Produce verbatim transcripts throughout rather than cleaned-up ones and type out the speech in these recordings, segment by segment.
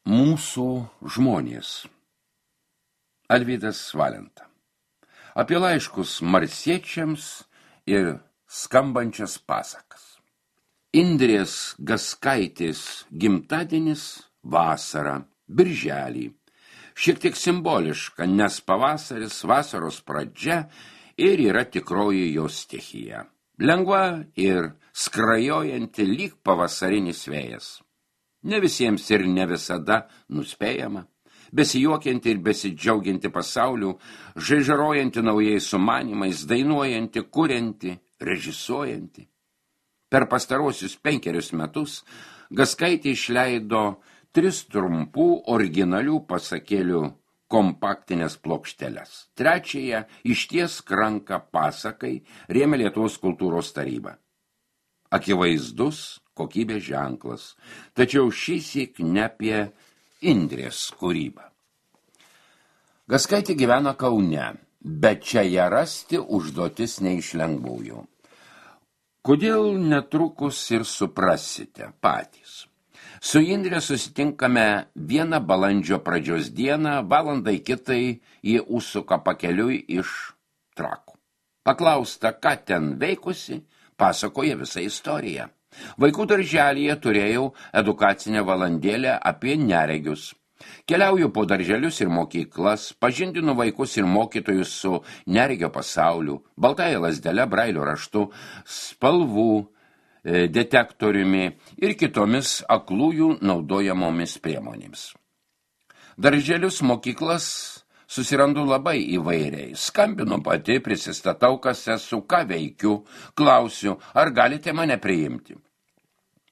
Mūsų žmonės. Alvydas Valenta. Apie laiškus marsiečiams ir skambančias pasakas. Indrės Gaskaitės gimtadienis vasarą, birželį. Šiek tiek simboliška, nes pavasaris, vasaros pradžia ir yra tikroji jos stichija. Lengva ir skrajojanti lyg pavasarinis vėjas. Ne visiems ir ne visada nuspėjama, besijuokianti ir besidžiaugianti pasauliu, žaižarojanti naujais sumanimais, dainuojanti, kurianti, režisuojanti. Per pastarosius penkerius metus Gaskaitė išleido tris trumpų originalių pasakėlių kompaktinės plokšteles. Trečiąją išties ranką pasakai rėmė Lietuvos kultūros taryba. Akivaizdus kokybės ženklas, tačiau šįsyk ne apie Indrės kūrybą. Gaskaitė gyvena Kaune, bet čia ją rasti užduotis ne iš lengvųjų. Kodėl netrukus ir suprasite patys. Su Indre susitinkame vieną balandžio pradžios dieną, valandai kitai jie užsuka pakeliui iš Trakų. Paklausta, ką ten veikusi, pasakoja visą istoriją. Vaikų darželyje turėjau edukacinę valandėlę apie neregius. Keliauju po darželius ir mokyklas, pažindinu vaikus ir mokytojus su neregio pasauliu, baltąja lazdele, brailio raštu, spalvų e, detektoriumi ir kitomis aklųjų naudojamomis priemonėmis. Darželius, mokyklas susirandu labai įvairiai. Skambinu pati, prisistatau, kas esu, ką veikiu, klausiu, ar galite mane priimti.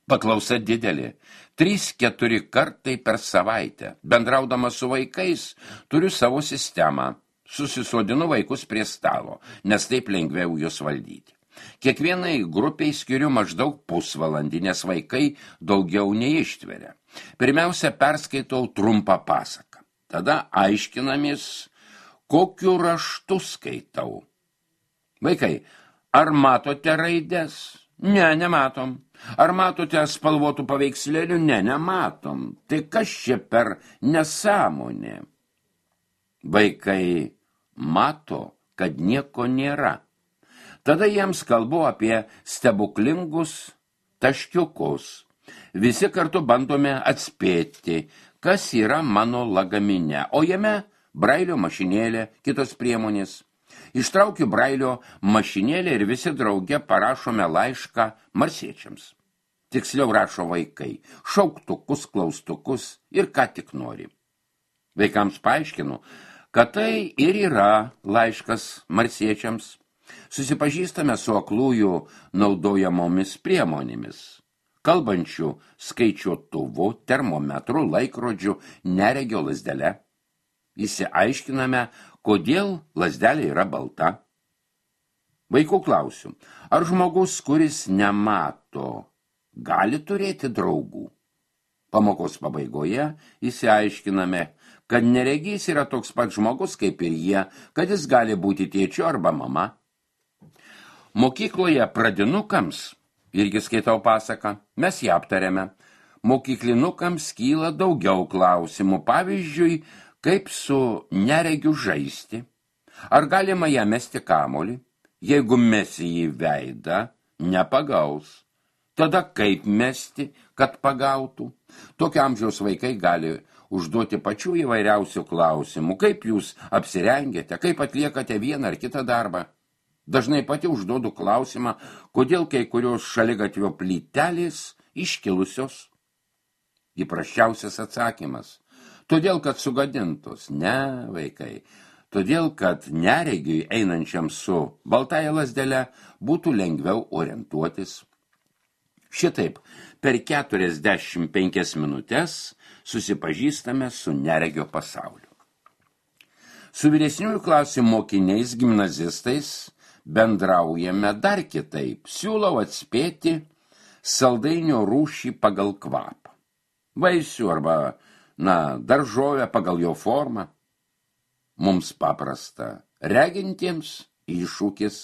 Paklausa didelė. Trys, keturi kartai per savaitę. Bendraudama su vaikais, turiu savo sistemą. Susisodinu vaikus prie stalo, nes taip lengviau juos valdyti. Kiekvienai grupiai skiriu maždaug pusvalandį, nes vaikai daugiau neištveria. Pirmiausia, perskaitau trumpą pasaką. Tada aiškinamės, kokiu raštu skaitau. Vaikai, ar matote raides? Ne, nematom. Ar matote spalvotų paveikslėlių? Ne, nematom. Tai kas čia per nesąmonė? Vaikai mato, kad nieko nėra. Tada jiems kalbu apie stebuklingus taškiukus. Visi kartu bandome atspėti, kas yra mano lagamine, o jame brailio mašinėlė, kitos priemonės. Ištraukiu brailio mašinėlę ir visi drauge parašome laišką marsiečiams. Tiksliau rašo vaikai, šauktukus, klaustukus ir ką tik nori. Vaikams paaiškinu, kad tai ir yra laiškas marsiečiams. Susipažįstame su aklųjų naudojamomis priemonėmis. Kalbančių skaičiuotuvu, termometru, laikrodžiu, neregio lazdele. Įsiaiškiname, kodėl lazdelė yra balta. Vaikų klausiu, ar žmogus, kuris nemato, gali turėti draugų? Pamokos pabaigoje įsiaiškiname, kad neregys yra toks pat žmogus kaip ir jie, kad jis gali būti tėčiu arba mama. Mokykloje pradinukams, irgi skaitau pasaką, mes ją aptarėme. Mokyklinukams kyla daugiau klausimų, pavyzdžiui, kaip su neregiu žaisti? Ar galima ją mesti kamuolį? Jeigu mesi į veidą, nepagaus. Tada kaip mesti, kad pagautų? Tokio amžiaus vaikai gali užduoti pačių įvairiausių klausimų. Kaip jūs apsirengėte, kaip atliekate vieną ar kitą darbą? Dažnai pati užduodu klausimą, kodėl kai kurios šaligatvio plytelės iškilusios. Įprasčiausias atsakymas. Todėl, kad sugadintos. Ne, vaikai. Todėl, kad neregiui einančiam su baltąja lazdele būtų lengviau orientuotis. Šitaip, per keturiasdešimt penkias minutės susipažįstame su neregio pasauliu. Su vyresniųjų klasių mokiniais, gimnazistais bendraujame dar kitaip. Siūlau atspėti saldainio rūšį pagal kvapą. Vaisių arba na, daržovę pagal jo formą. Mums paprasta. Regintiems iššūkis.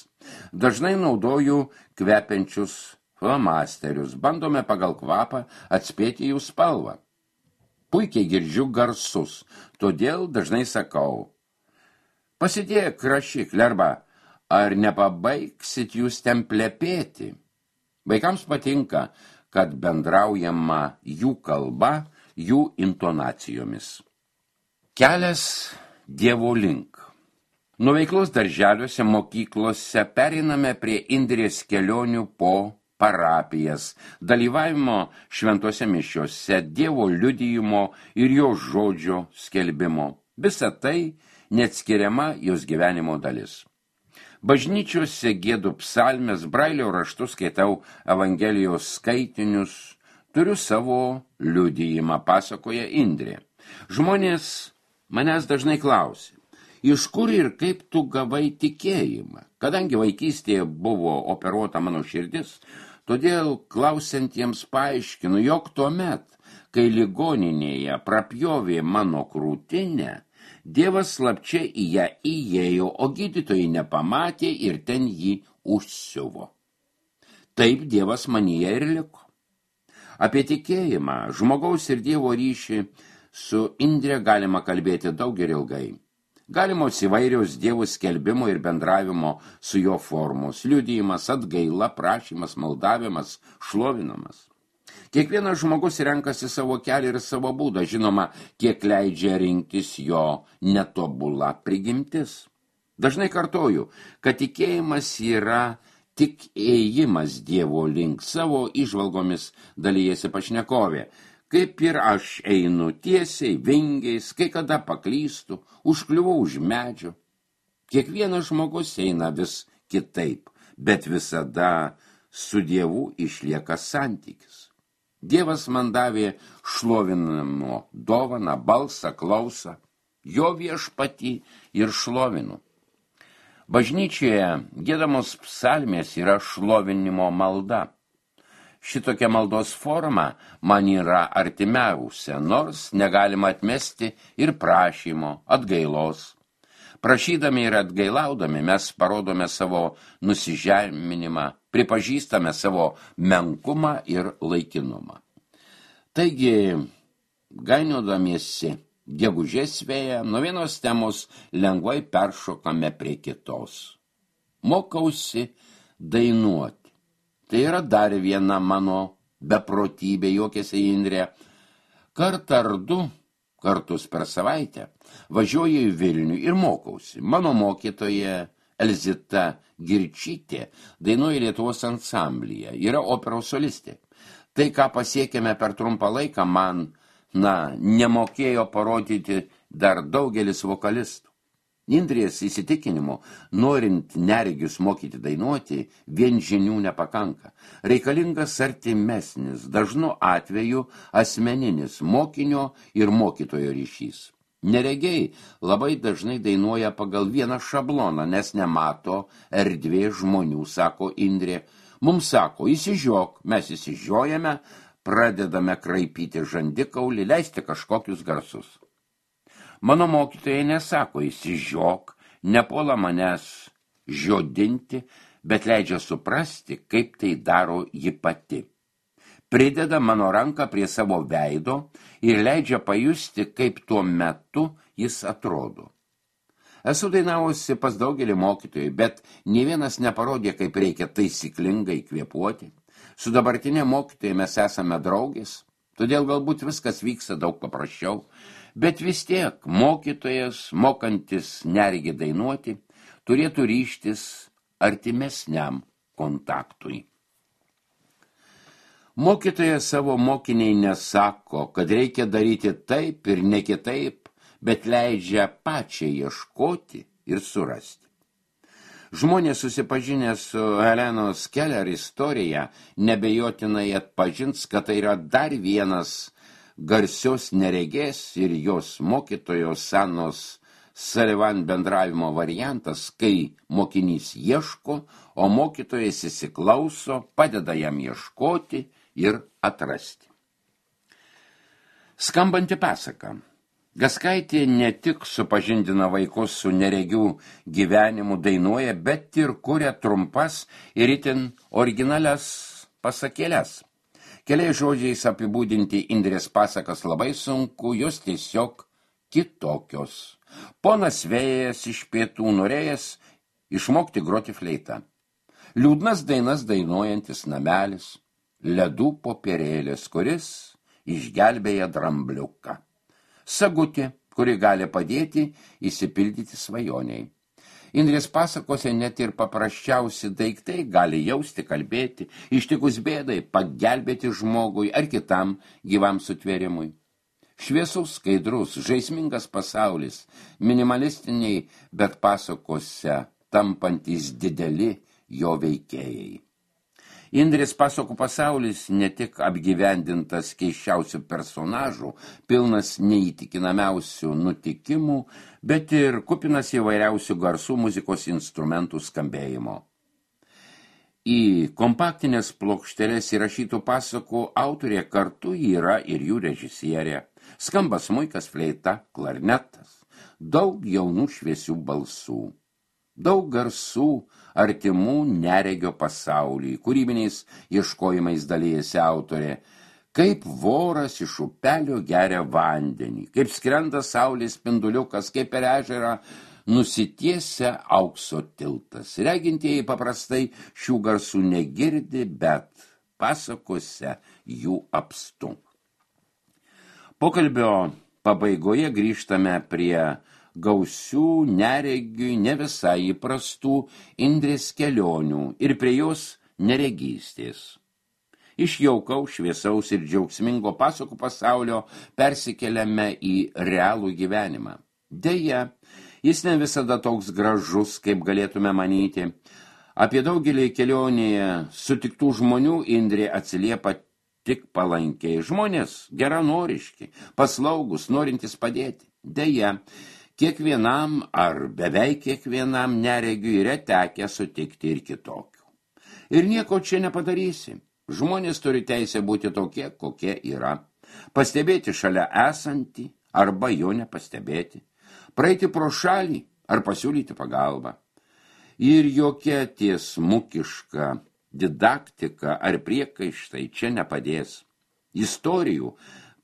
Dažnai naudoju kvepiančius flomasterius. Bandome pagal kvapą atspėti jų spalvą. Puikiai girdžiu garsus, todėl dažnai sakau, pasidėk rašiklį arba ar nepabaigsit jūs ten plepėti. Vaikams patinka, kad bendraujama jų kalba, jų intonacijomis. Kelias Dievo link. Nuo veiklos darželiuose, mokyklose pereiname prie Indrės kelionių po parapijas, dalyvavimo šventose mišiose, Dievo liudijimo ir jo žodžio skelbimo. Visa tai neatskiriama jos gyvenimo dalis. Bažnyčiose giedu psalmes, brailio raštus, skaitau Evangelijos skaitinius, turiu savo liudijimą, pasakoja Indrė. Žmonės manęs dažnai klausia, iš kur ir kaip tu gavai tikėjimą? Kadangi vaikystėje buvo operuota mano širdis, todėl klausiantiems paaiškinu, jog tuomet, kai ligoninėje prapjovė mano krūtinę, Dievas slapčia į ją įėjo, o gydytojai nepamatė ir ten jį užsiuvo. Taip Dievas manyje ir liko. Apie tikėjimą, žmogaus ir Dievo ryšį su Indre galima kalbėti daug ir ilgai. Galimos įvairios Dievo skelbimo ir bendravimo su jo formos, liudijimas, atgaila, prašymas, maldavimas, šlovinamas. Kiekvienas žmogus renkasi savo kelią ir savo būdą, žinoma, kiek leidžia rinktis jo netobula prigimtis. Dažnai kartoju, kad tikėjimas yra tik ėjimas Dievo link, savo įžvalgomis dalijasi pašnekovė. Kaip ir aš einu tiesiai, vingiais, kai kada paklystu, užkliuvau už medžio. Kiekvienas žmogus eina vis kitaip, bet visada su Dievu išlieka santykis. Dievas man davė šlovinimo dovaną, balsą, klausą, jo viešpatį ir šlovinu. Bažnyčioje giedamos psalmės yra šlovinimo malda. Šitokia maldos forma man yra artimiausia, nors negalima atmesti ir prašymo, atgailos. Prašydami ir atgailaudami mes parodome savo nusižeminimą, pripažįstame savo menkumą ir laikinumą. Taigi, gainiodamiesi gegužės vėją, nuo vienos temos lengvai peršokame prie kitos. Mokausi dainuoti. Tai yra dar viena mano beprotybė, juokėsi Indrė. Kartą ar du kartus per savaitę važiuoju į Vilnių ir mokausi. Mano mokytoja Elzita Girčytė dainuoja Lietuvos ansamblyje, yra operos solistė. Tai, ką pasiekėme per trumpą laiką, man, na, nemokėjo parodyti dar daugelis vokalistų. Indrės įsitikinimu, norint neregius mokyti dainuoti, vien žinių nepakanka. Reikalingas artimesnis, dažnu atveju asmeninis mokinio ir mokytojo ryšys. Neregiai labai dažnai dainuoja pagal vieną šabloną, nes nemato erdvė žmonių, sako Indrė. Mums sako, įsižiok, mes įsižiojame, pradedame kraipyti žandikaulį, leisti kažkokius garsus. Mano mokytojai nesako, įsižiok, nepuola manęs žiodinti, bet leidžia suprasti, kaip tai daro ji pati. Prideda mano ranką prie savo veido ir leidžia pajusti, kaip tuo metu jis atrodo. Esu dainavusi pas daugelį mokytojų, bet nė vienas neparodė, kaip reikia taisyklingai kvėpuoti. Su dabartinė mokytojai mes esame draugės, todėl galbūt viskas vyksta daug paprasčiau, bet vis tiek mokytojas, mokantis neregį dainuoti, turėtų ryžtis artimesniam kontaktui. Mokytojas savo mokiniai nesako, kad reikia daryti taip ir ne kitaip, bet leidžia pačiai ieškoti ir surasti. Žmonės susipažinę su Helenos Keller istorija nebejotinai atpažins, kad tai yra dar vienas garsios neregės ir jos mokytojos Sanos Sullivan bendravimo variantas, kai mokinys ieško, o mokytojas įsiklauso, padeda jam ieškoti ir atrasti. Skambanti pasaka. Gaskaitė ne tik supažindina vaikus su neregių gyvenimu dainuoja, bet ir kuria trumpas ir itin originalias pasakėles. Keliais žodžiais apibūdinti Indrės pasakas labai sunku, jos tiesiog kitokios. Ponas vėjas iš pietų norėjęs išmokti groti fleitą. Liūdnas dainas dainuojantis namelis, ledų popierėlis, kuris išgelbėja drambliuką. Sagutė, kuri gali padėti įsipildyti svajoniai. Indrės pasakose net ir paprasčiausi daiktai gali jausti, kalbėti, ištikus bėdai, pagelbėti žmogui ar kitam gyvam sutvėrimui. Šviesus, skaidrus, žaismingas pasaulis, minimalistiniai, bet pasakose tampantys dideli jo veikėjai. Indrės pasakų pasaulis ne tik apgyvendintas keisčiausių personažų, pilnas neįtikinamiausių nutikimų, bet ir kupinas įvairiausių garsų muzikos instrumentų skambėjimo. Į kompaktinės plokšteles įrašytų pasakų autorė kartu yra ir jų režisierė. Skamba smuikas, fleita, klarnetas, daug jaunų šviesių balsų. Daug garsų, artimų neregio pasauliui, kūrybiniais ieškojimais dalyjasi autorė, kaip voras iš upelio geria vandenį, kaip skrenda saulės spinduliukas, kaip per ežerą nusitiesia aukso tiltas. Regintieji paprastai šių garsų negirdi, bet pasakose jų apstu. Pokalbio pabaigoje grįžtame prie gausių, neregiui, ne visai įprastų Indrės kelionių ir prie jos neregystės. Iš jaukaus, šviesaus ir džiaugsmingo pasakų pasaulio persikeliame į realų gyvenimą. Deja, jis ne visada toks gražus, kaip galėtume manyti. Apie daugelį kelionėje sutiktų žmonių Indrė atsiliepa tik palankiai. Žmonės geranoriški, paslaugus, norintys padėti. Deja, kiekvienam ar beveik kiekvienam neregiui yra tekę sutikti ir kitokių. Ir nieko čia nepadarysi. Žmonės turi teisę būti tokie, kokie yra. Pastebėti šalia esantį arba jo nepastebėti. Praeiti pro šalį ar pasiūlyti pagalbą. Ir jokia tiesmukiška didaktika ar priekaištai čia nepadės. Istorijų,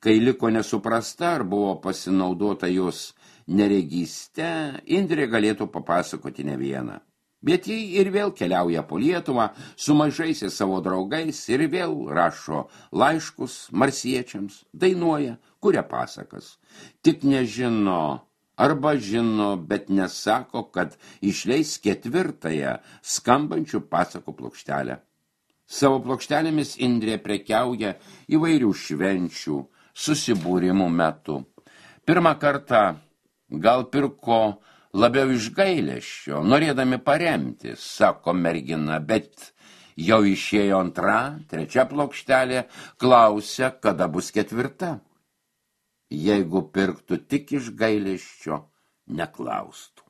kai liko nesuprasta ar buvo pasinaudota jos neregyste, Indrė galėtų papasakoti ne vieną. Bet jie ir vėl keliauja po Lietuvą su mažaisiais savo draugais ir vėl rašo laiškus marsiečiams, dainuoja, kuria pasakas. Tik nežino, arba žino, bet nesako, kad išleis ketvirtąją skambančių pasakų plokštelę. Savo plokštelėmis Indrė prekiauja įvairių švenčių, susibūrimų metu. Pirmą kartą gal pirko labiau iš gailesčio, norėdami paremti, sako mergina, bet jau išėjo antra, trečia plokštelė, klausia, kada bus ketvirta. Jeigu pirktų tik iš gailesčio, neklaustų.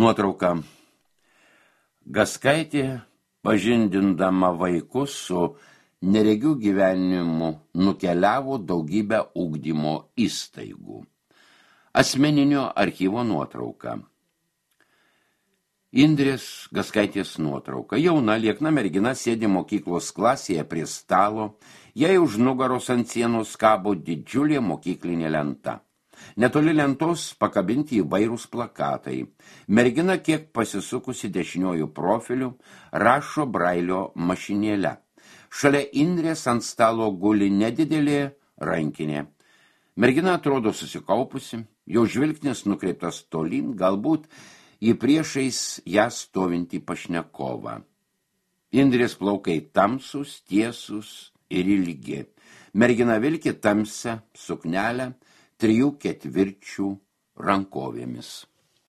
Nuotrauka. Gaskaitė, pažindindama vaikus su neregių gyvenimu, nukeliavo daugybę ugdymo įstaigų. Asmeninio archyvo nuotrauka. Indrės Gaskaitės nuotrauka. Jauna, liekna mergina sėdi mokyklos klasėje prie stalo, jai už nugaros ant sienos kabo didžiulė mokyklinė lenta. Netoli lentos pakabinti įvairūs plakatai. Mergina kiek pasisukusi dešiniojų profilių rašo brailio mašinėle. Šalia Indrės ant stalo guli nedidelė rankinė. Mergina atrodo susikaupusi, jo žvilgsnis nukreiptas tolyn, galbūt į priešais ją stovintį pašnekovą. Indrės plaukai tamsus, tiesus ir ilgi. Mergina vilki tamsią suknelę trijų ketvirčių rankovėmis.